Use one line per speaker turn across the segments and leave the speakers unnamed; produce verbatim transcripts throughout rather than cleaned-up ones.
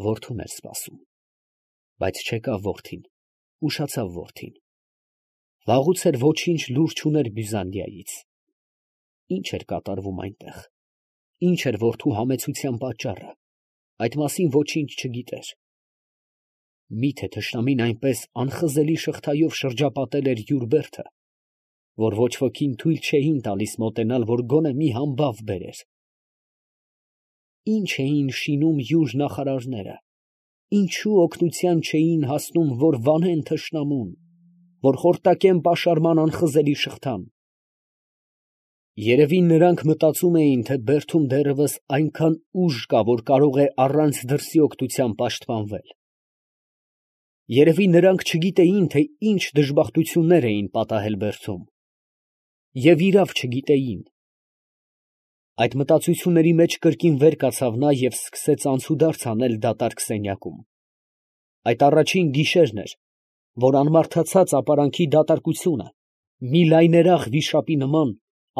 Որդուն էր սպասում, բայց չեկավ որդին, ուշացավ որդին. վաղուց էր ոչինչ լուր չուներ Բյուզանդիայից. ի՞նչ էր կատարվում այնտեղ, ի՞նչ էր որդու համեցության պատճառը, այդ մասին ոչինչ չգիտեր. մի՞թե թշնամին այնպես անխզելի շղթայով շրջապատել էր յուր բերդը, որ ոչ ոքին թույլ չէին տալիս մոտենալ, որ գոնե մի համբավ բերեր. ի՞նչ էին շինում յուր նախարարները, ինչու օգնության չէին հասնում, որ վանեն թշնամուն, որ խորտակեն պաշարման անխզելի շղթան. երևի նրանք մտածում էին, թե բերդում դեռևս այնքան ուժ կա, որ կարող է առանց դրսի օգնության պաշտպանվել. երևի նրանք չգիտեին, թե ինչ դժբախտություններ էին պատահել բերդում, և իրավ չգիտեին. այդ մտածությունների մեջ կրկին վեր կացավ նա և սկսեց անցուդարձ անել դատարկ սենյակում. այդ առաջին գիշերն էր, որ անմարդացած ապարանքի դատարկությունը, մի լայներախ վիշապի նման,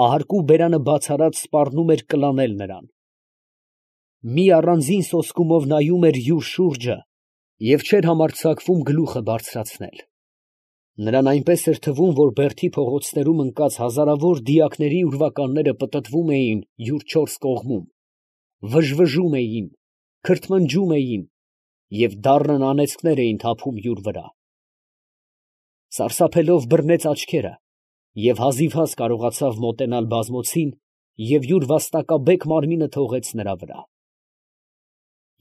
ահարկու բերանը բաց արած սպառնում էր կլանել նրան. մի առանձին սոսկումով նայում էր յուր շուրջը և չէր համարձակվում գլուխը բարձրացնել. նրան այնպես էր թվում, որ բերդի փողոցներում ընկած հազարավոր դիակների ուրվականները պտտվում էին յուր չորս կողմում, վժվժում էին, քրթմնջում էին և դառն անեծքներ էին թափում յուր վրա. սարսափելով բռնեց աչքերը և հազիվհազ կարողացավ մոտենալ բազմոցին և յուր վաստակաբեկ մարմինը թողեց նրա վրա.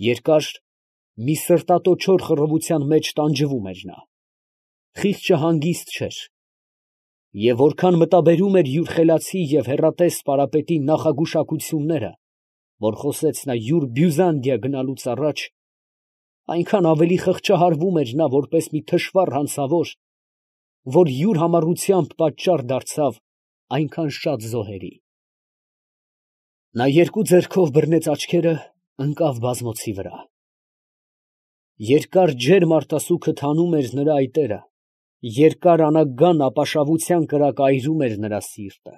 երկար, մի սրտատոչոր խռովության մեջ տանջվում էր նա. խիղճը հանգիստ չէր, և որքան մտաբերում էր յուր խելացի և հեռատես պարապետի նախագուշակությունները, որ խոսեց նա յուր Բյուզանդիա գնալուց առաջ, այնքան ավելի խղճահարվում էր նա, որպես մի թշվառ հանցավոր, որ յուր համառությամբ պատճառ դարձավ այնքան շատ զոհերի. նա երկու ձեռքով բռնեց աչքերը, ընկավ բազմոցի վրա. երկար ջերմ արտասուքը թանում էր նրա այտերը, երկար անագան ապաշավության կրակը այրում էր նրա սիրտը.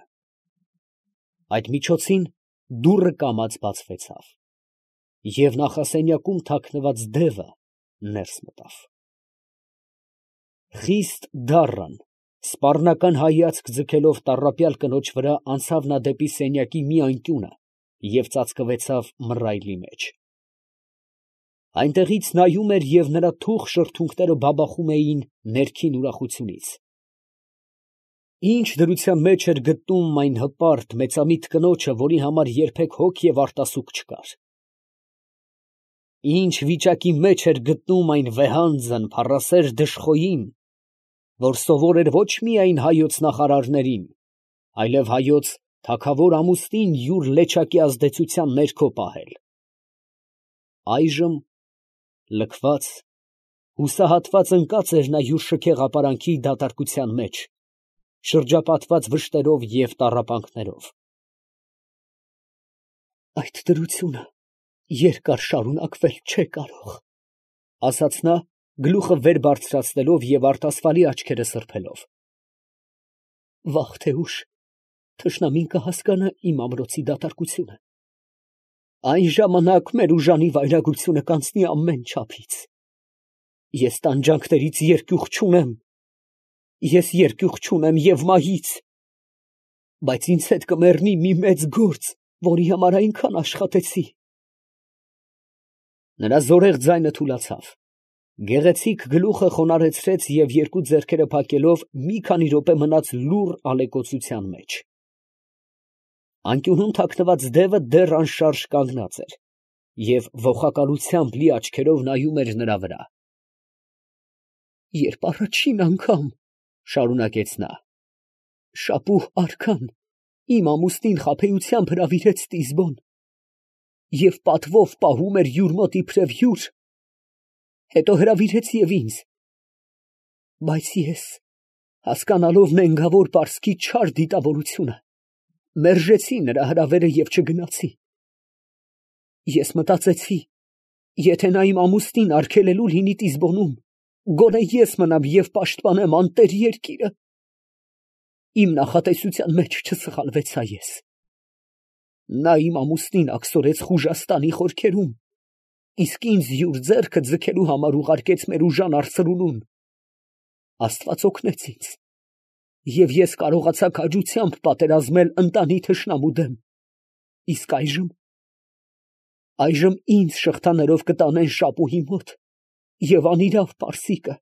այդ միջոցին դուռը կամաց բացվեցավ, և նախասենյակում թաքնված դևը ներս մտավ. խիստ դառն, սպառնական հայացք ձգելով տառապյալ կնոջ վրա, անցավ նա դեպի սենյակի մի անկյունը և ծածկվեցավ մռայլի մեջ. այնտեղից նայում էր և նրա թուխ շրթունքները բաբախում էին ներքին ուրախությունից. ինչ դրության մեջ էր գտնում այն հպարտ, մեծամիտ կնոջը, որի համար երբեք հոգ և արտասուք չկար. ինչ վիճակի մեջ էր գտնում այն վեհանձն, փառասեր դժխոյին, որ սովոր էր ոչ միայն հայոց նախարարներին, այլև հայոց թագավոր ամուսնին յուր լեչակի ազդեցության ներքո պահել. այժմ լքված, հուսահատված ընկած էր նա յուր շքեղ ապարանքի դատարկության մեջ, շրջապատված վշտերով և տառապանքներով. «Այդ դրությունը երկար շարունակվել չէ կարող», ֊ ասաց նա, գլուխը վեր բարձրացնելով և արտասվալի աչքերը սրբելով. «վաղ թե ուշ թշնամին կհասկանա իմ ամրոցի դատարկությունը. այն ժամանակ մեր ուժանի վայրագությունը կանցնի ամեն չափից. ես տանջանքներից երկյուղ չունեմ, ես երկյուղ չունեմ և մահից, բայց ինձ հետ կմեռնի մի մեծ գործ, որի համար այնքան աշխատեցի»։ Նրա զորեղ ձայնը թուլացավ, գեղեցիկ գլուխը խոնարհեցրեց և երկու ձեռքերը փակելով մի քանի րոպե մնաց լուռ ալեկոծության մեջ. անկյունում թաքնված դևը դեռ անշարժ կանգնած էր և ոխակալությամբ լի աչքերով նայում էր նրա վրա. «Երբ առաջին անգամ, ֊ շարունակեց նա, ֊ շապուհ արքան իմ ամուսնին խաբեությամբ հրավիրեց Տիզբոն և պատվով պահում էր յուր մոտ իբրև հյուր, հետո հրավիրեց և ինձ, բայց ես, հասկանալով նենգավոր պարսկի չար դիտավորությունը, մերժեցի նրա հրավերը և չգնացի. ես մտածեցի, եթե նա իմ ամուսնին արգելելու լինի Տիզբոնում, գոնե ես մնամ և պաշտպանեմ անտեր երկիրը. իմ նախատեսության մեջ չսխալվեցա ես. նա իմ ամուսնին աքսորեց Խուժաստանի խորքերում իսկ ինձ յուր ձեռքը ձգելու համար ուղարկեց մեր ուժան արծրունուն։ Աստված օգնեց ինձ, և ես կարողացա քաջությամբ պատերազմել ընտանի թշնամու դեմ։ Իսկ այժմ… այժմ ինձ շղթաներով կտանեն Շապուհի մոտ, և անիրավ պարսիկը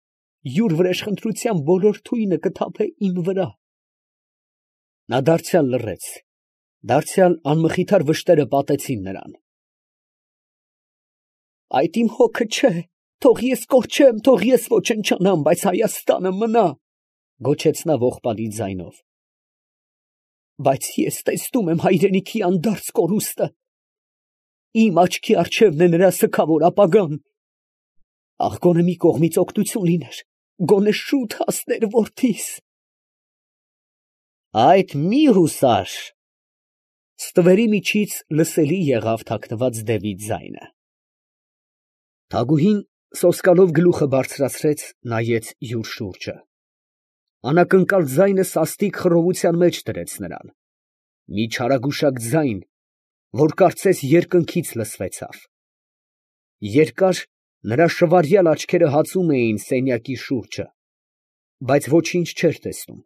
յուր վրեժխնդրության բոլոր թույնը կթափե իմ վրա։ Նա դարձյալ լռեց, դարձյալ անմխիթար վշտերը պատեցին նրան։ Այդ իմ հոգը չէ, թող ես կորչեմ, թող ես ոչնչանամ, բայց Հայաստանը մնա, գոչեց նա ողբալի ձայնով։ Բայց ես տեսնում եմ հայրենիքի անդարձ կորուստը, իմ աչքի առջևն է նրա սգավոր ապագան։ Ախ, գոնե մի կողմից օգնություն լիներ, գոնե շուտ հասներ որդիս։ Այդ մի հուսար… Ստվերի միջից լսելի եղավ թաքնված դևի ձայնը։ Թագուհին սոսկալով գլուխը բարձրացրեց, նայեց յուր շուրջը։ Անակնկալ ձայնը սաստիկ խռովության մեջ դրեց նրան, մի չարագուշակ ձայն, որ կարծես երկնքից լսվեցավ։ Երկար նրա շվարյալ աչքերը հածում էին սենյակի շուրջը, բայց ոչինչ չէր տեսնում։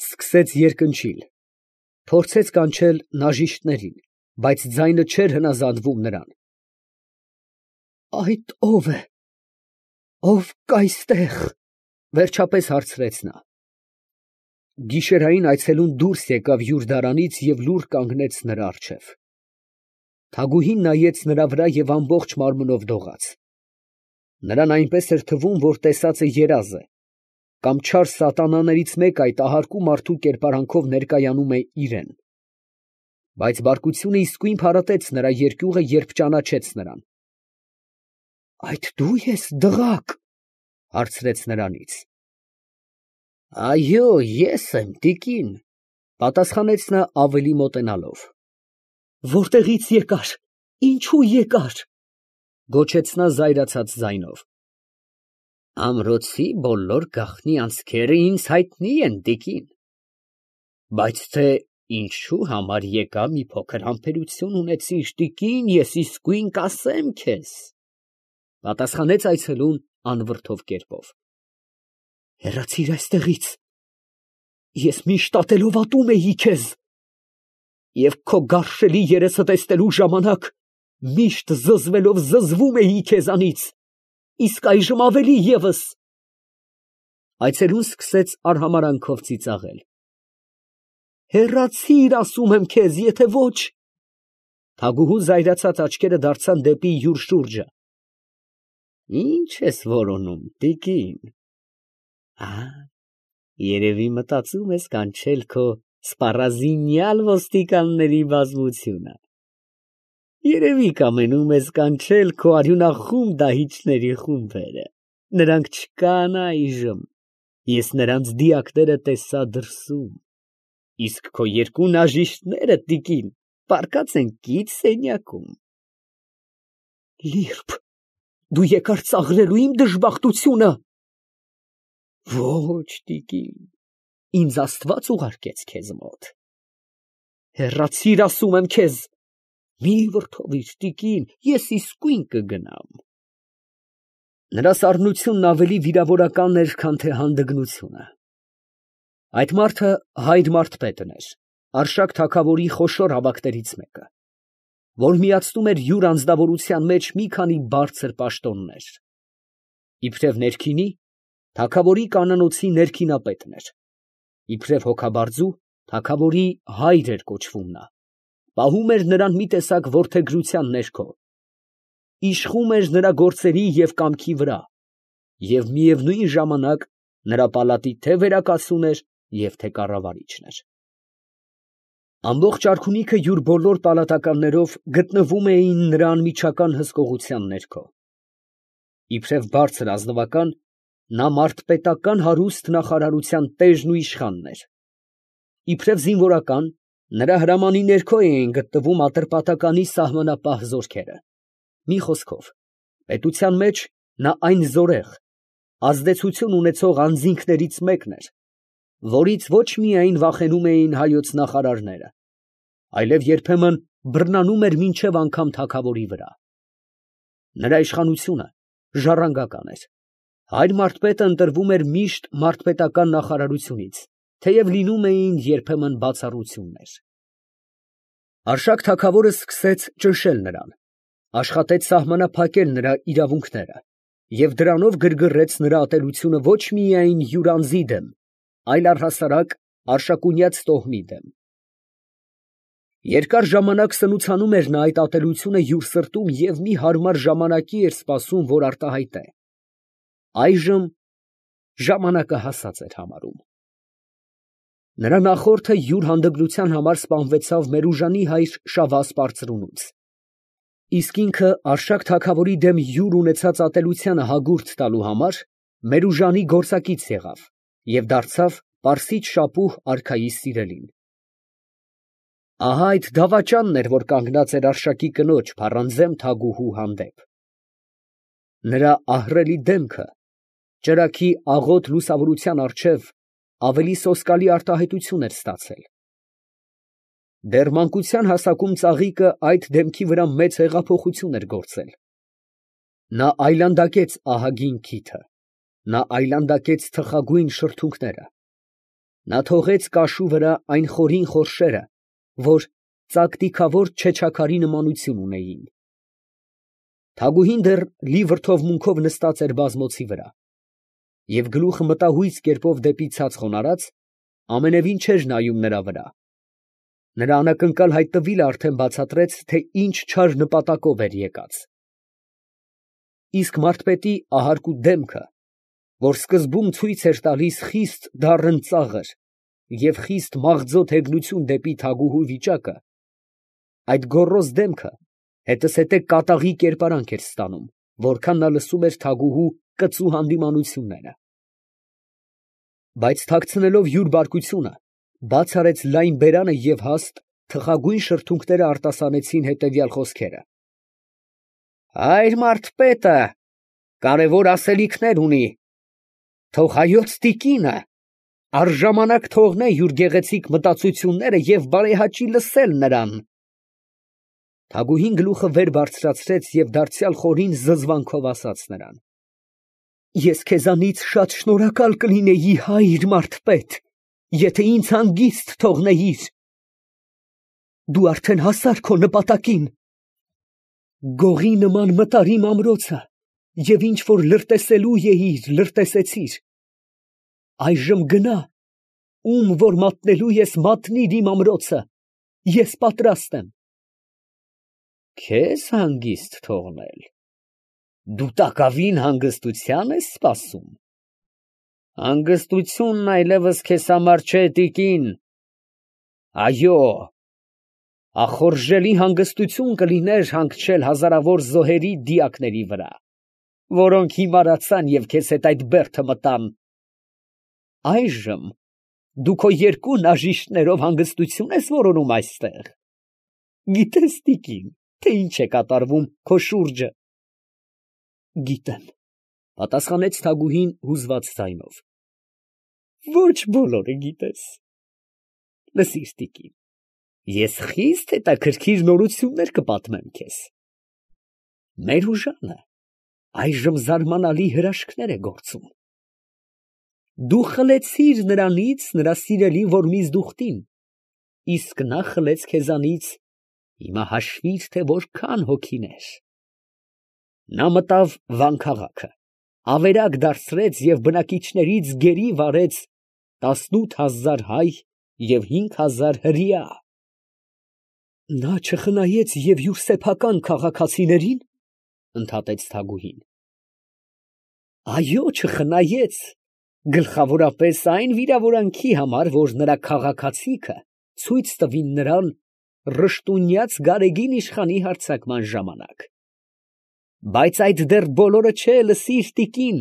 Սկսեց երկնչիլ, փորձեց կանչել նաժիշտներին, բայց ձայնը չէր հնազանդվում նրան։ Այդ ո՞վ է, ով կա այստեղ, վերջապես հարցրեց նա։ Գիշերային այցելուն դուրս եկավ յուր դարանից և լուռ կանգնեց նրա առջև։ Թագուհին նայեց նրա վրա և ամբողջ մարմնով դողաց։ Նրան այնպես էր թվում, որ տեսածը երազ է, կամ չար սատանաներից մեկը այդ ահարկու մարդու կերպարանքով ներկայանում է իրան։ Բայց բարկությունը իսկույն փարատեց նրա երկյուղը, երբ ճանաչեց նրան։ Այդ դու ես, դղակ, հարցրեց նրանից։ Այո, ես եմ, տիկին, պատասխանեց նա ավելի մոտենալով։ Որտեղից եկար, ինչու եկար, գոչեց նա զայրացած ձայնով։ Ամրոցի բոլոր գաղտնի անցքերը ինձ հայտնի են, տիկին, բայց թե ինչու համար եկա, մի փոքր համբերություն ունեցիր, տիկին, ես իսկույն կասեմ քեզ, պատասխանեց այցելուն անվրդով կերպով։ Հեռացիր այստեղից, ես միշտ ատելով ատում էի քեզ, և քո գարշելի երեսը տեսնելու ժամանակ միշտ զզվելով զզվում էի քեզանից, իսկ այժմ ավելի ևս։ Այցելուն սկսեց արհամարանքով ծիծաղել։ Հեռացիր, ասում եմ քեզ, եթե ոչ… Թագուհու զայրացած աչքերը դարձան դեպի յուր շուրջը։ Ի՞նչ ես որոնում, տիկին։ Ա, երևի մտածում ես կանչել քո սպառազինյալ ոստիկանների բազմությունը։ Երևի կամենում ես կանչել քո արյունախում դահիճների խումբերը։ Նրանք չկան այժմ, ես նրանց դիակները տեսա դրսում, իսկ քո երկու նաժիշտները, տիկին, պառկած են կից սենյակում։ Լիրբ, դու եկար ծաղրելու իմ դժբախտությունը։ Ոչ, տիկին, ինձ Աստված ուղարկեց քեզ մոտ։ Հեռացիր, ասում եմ քեզ, մի վրդովիր, տիկին, ես իսկույն կգնամ։ Նրա սառնությունն ավելի վիրավորական էր, քան թե հանդգնությունը։ Այդ մարդը Հայր մարդպետն էր, Արշակ թագավորի խոշոր ավագներից մեկը, որ միացնում էր յուր անձնավորության մեջ մի քանի բարձր պաշտոններ։ Իբրև ներքինի, թագավորի կանանոցի ներքինապետն էր, իբրև հոգաբարձու, թագավորի հայր էր կոչվում նա, պահում էր նրան մի տեսակ որդեգրության ներքո, իշխում էր նրա գործերի և կամքի վրա և միևնույն ժամանակ նրա պալատի թե վերակացուն էր և թե կառավարիչն էր։ Ամբողջ արքունիքը յուր բոլոր պալատականներով գտնվում էին նրա անմիջական հսկողության ներքո։ Իբրև բարձր ազնվական, նա մարդպետական հարուստ նախարարության տեժն ու իշխանն էր։ Իբրև զինվորական, նրա հրամանի ներքո էին գտնվում Ատրպատականի սահմանապահ զորքերը։ Մի խոսքով, պետության մեջ նա այն զորեղ, ազդեցություն ունեցող անձինքներից մեկն էր, որից ոչ միայն վախենում էին հայոց նախարարները, այլև երբեմն բռնանում էր մինչև անգամ թագավորի վրա։ Նրա իշխանությունը ժառանգական էր։ Հայր մարդպետը ընտրվում էր միշտ մարդպետական նախարարությունից, թեև լինում էին երբեմն բացառություններ։ Արշակ թագավորը սկսեց ճնշել նրան, աշխատեց սահմանափակել նրա իրավունքները և դրանով գրգռեց նրա ատելությունը ոչ միայն յուր անձի դեմ, այլ առհասարակ արշակունյաց տոհմի դեմ։ Երկար ժամանակ սնուցանում էր նա այդ ատելությունը յուր սրտում և մի հարմար ժամանակի էր սպասում, որ արտահայտե։ Այժմ ժամանակը հասած էր համարում։ Նրա նախորդը յուր հանդգնության համար սպանվեցավ Մերուժանի հայր Շավազ պարծրունուց, իսկ ինքը Արշակ թագավորի դեմ յուր ունեցած ատելությանը հագուրդ տալու համար Մերուժանի գործակից եղավ և դարձավ Պարսից շապուհ արքայի սիրելին։ Ահա այդ դավաճանն էր, որ կանգնած էր Արշակի կնոջ փառանձեմ թագուհու հանդեպ։ Նրա ահռելի դեմքը ճրագի աղոտ լուսավորության առջև ավելի սոսկալի արտահայտություն էր ստացել։ Դեռ մանկության հասակում ծաղիկը այդ դեմքի վրա մեծ հեղափոխություն էր գործել։ Նա այլանդակեց ահագին քիթը, նա այլանդակեց թխագույն շրթունքները, նա թողեց կաշու վրա այն խորին խորշերը, որ ծակտիքավոր չեչաքարի նմանություն ունեին։ Թագուհին դեռ լի վրդովմունքով նստած էր բազմոցի վրա, և գլուխը մտահույց կերպով դեպի ցած խոնարհած, ամենևին չէր նայում նրա վրա։ Նրա անակնկալ հայտնվիլը արդեն բացատրեց, թե ինչ չար նպատակով էր եկած։ Իսկ մարդպետի ահարկու դեմքը, որ սկզբում ցույց էր տալիս խիստ դառն ծաղր և խիստ մաղձոտ հեգնություն դեպի թագուհու վիճակը, այդ գոռոզ դեմքը հետզհետե կատաղի կերպարանք էր ստանում, որքան նա լսում էր թագուհու կծու հանդիմանությունները։ Բայց թաքցնելով յուր բարկությունը, բաց արեց լայն բերանը և հաստ թխագույն շրթունքները արտասանեցին հետևյալ խոսքերը. «Հայր մարդպետը կարևոր ասելիքներ ունի, թող հայոց տիկինը առժամանակ թողնե յուր գեղեցիկ մտածությունները և բարեհաճի լսել նրան»։ Թագուհին գլուխը վեր բարձրացրեց և դարձյալ խորին զզվանքով ասաց նրան. «Ես քեզանից շատ շնորհակալ կլինեի, հայր մարդպետ, եթե ինձ հանգիստ թողնեիր. դու արդեն հասար քո նպատակին։ Գողի նման մտար իմ ամրոցը և ինչ որ լրտեսելու էիր, լրտեսեցիր։ Այժմ գնա, ում որ մատնելու ես մատնիր իմ ամրոցը, ես պատրաստ եմ»։ Քեզ հանգիստ թողնել, դու տակավին հանգստության ես սպասում։ Հանգստությունն այլևս քեզ համար չէ, տիկին, այո, ախորժելի հանգստություն կլիներ հանգչել հազարավոր զոհերի դիակների վրա, որոնք հիմարացան և քեզ հետ այդ բերդը մտան։ Այժմ դու քո երկու նաժիշտներով հանգստություն ես որոնում այստեղ։ Գիտես, տիկին, թե ինչ է կատարվում քո շուրջը։ Գիտեմ, պատասխանեց թագուհին հուզված ձայնով։ Ոչ բոլորը գիտես։ Լսիր, տիկին, ես խիստ հետաքրքիր նորություններ կպատմեմ քեզ։ Մերուժանը այժմ զարմանալի հրաշքներ է գործում։ Դու խլեցիր նրանից նրա սիրելի Որմիզդուխտին, իսկ նա խլեց քեզանից, հիմա հաշվիր, թե որքան հոգիներ։ Նա մտավ Վան քաղաքը, ավերակ դարձրեց և բնակիչներից գերի վարեց տասնութ հազար հայ և հինգ հազար հրեա։ Նա չխնայեց և յուր սեփական քաղաքացիների՞ն, ընդհատեց թագուհին։ Այո, չխնայեց, գլխավորապես այն վիրավորանքի համար, որ նրա քաղաքացիքը ցույց տվին նրան ռշտունյաց Գարեգին իշխանի հարձակման ժամանակ։ Բայց այդ դեռ բոլորը չէ, լսիր, տիկին.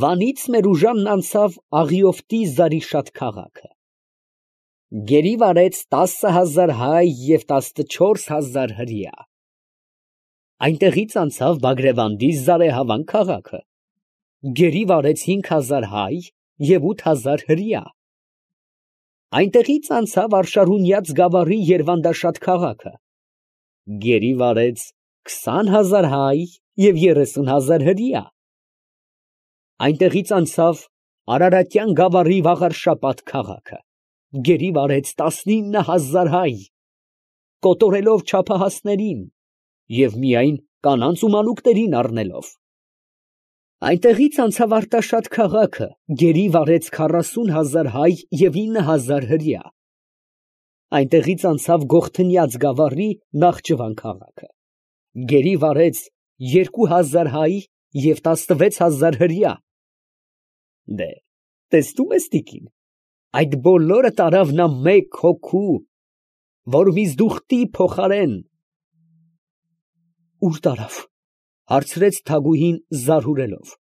Վանից Մերուժանն անցավ Աղիոֆտի Զարիշատ քաղաքը, գերի վարեց տասը հազար հայ և տասնչորս հազար հրեա։ Այնտեղից անցավ Բագրևանդի Զարեհավան քաղաքը, գերի վարեց հինգ հազար հայ և ութ հազար հրեա։ Այնտեղից անցավ Արշարունյաց գավառի Երվանդաշատ քաղաքը, գերի վարեց քսան հազար հայ և երեսուն հազար հրեա։ Այնտեղից անցավ Արարատյան գավառի Վաղարշապատ քաղաքը, գերի վարեց տասնինը հազար հայ, կոտորելով չափահասներին և միայն կանանց ու մանուկներին առնելով։ Այնտեղից անցավ Արտաշատ քաղաքը, գերի վարեց քառասուն հազար հայ և ինը հազար հրեա։ Այնտեղից անցավ Գողթնյաց գավառի Նախճվան քաղաքը, գերի վարեց երկու հազար հայ և տասնվեց հազար հրեա։ Դե, տեսնո՞ւմ ես, տիկին, այդ բոլորը տարավ նա մեկ հոգու, որ միզդուխտի փոխարեն։ Ո՞ւր տարավ, հարցրեց Թագուհին զարհուրելով։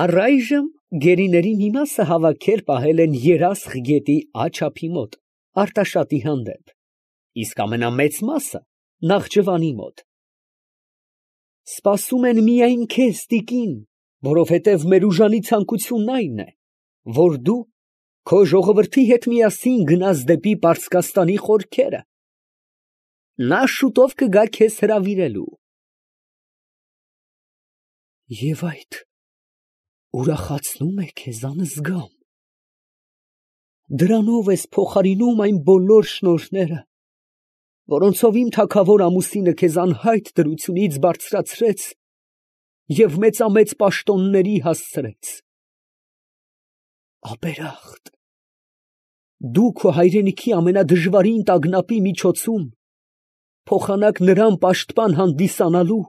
Առայժմ գերիների մի մասը հավաքել պահել են Երասխ գետի աջ ափի մոտ, Արտաշատի հանդեպ, իսկ ամենամեծ մասը Նախճվանի մոտ։ Սպասում են միայն քեզ, տիկին, որովհետև մեր ուժանի ցանկությունն այն է, որ դու քո ժողովրդի հետ միասին գնաս դեպի Պարսկաստանի խորքերը. նա շուտով կգա քեզ հրավիրելու։ Եվ այդ ուրախացնո՞ւմ է քեզ, անզգամ, դրանո՞վ ես փոխարինում այն բոլոր շնորհները, որոնցով իմ թագավոր ամուսինը քեզ անհայտ դրությունից բարձրացրեց և մեծամեծ պաշտոնների հասցրեց։ Ապերախտ, դու քո հայրենիքի ամենադժվարին տագնապի միջոցում փոխանակ նրան պաշտպան հանդիսանալու,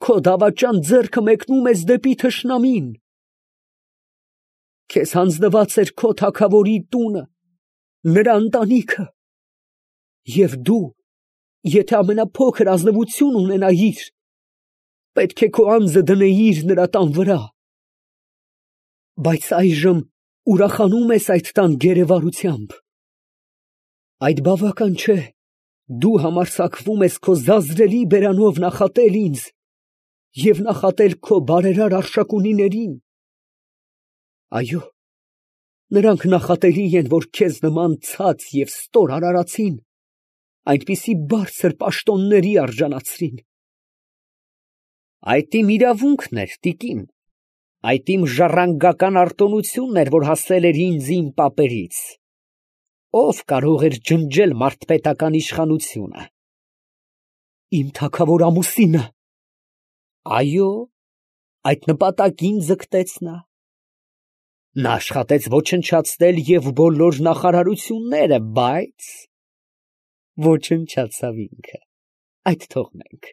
քո դավաճան ձեռքը մեկնում ես դեպի թշնամին։ Քեզ հանձնված էր քո թագավորի տունը, նրա ընտանիքը, և դու, եթե ամենափոքր ազնվություն ունենայիր, պետք է քո անձը դնեիր նրա տան վրա։ Բայց այժմ ուրախանո՞ւմ ես այդ տան գերեվարությամբ։ Այդ բավական չէ, դու համարձակվում ես քո զազրելի բերանով նախատել ինձ և նախատել քո բարերար արշակունիներին։ Այո, նրանք նախատելի են, որ քեզ նման ցած և ստոր արարածին այնպիսի բարձր պաշտոնների արժանացրին։ Այդ իմ իրավունքն էր, տիկին, այդ իմ ժառանգական արտոնությունն էր, որ հասել էր ինձ իմ պապերից։ Ո՞վ կարող էր ջնջել մարդպետական իշխանությունը։ Իմ թագավոր ամուսինը։ Այո, այդ նպատակին ձգտեց նա։ Նա աշխատեց ոչնչացնել և բոլոր նախարարությունները, բայց ոչնչացավ ինքը, այդ թողնենք։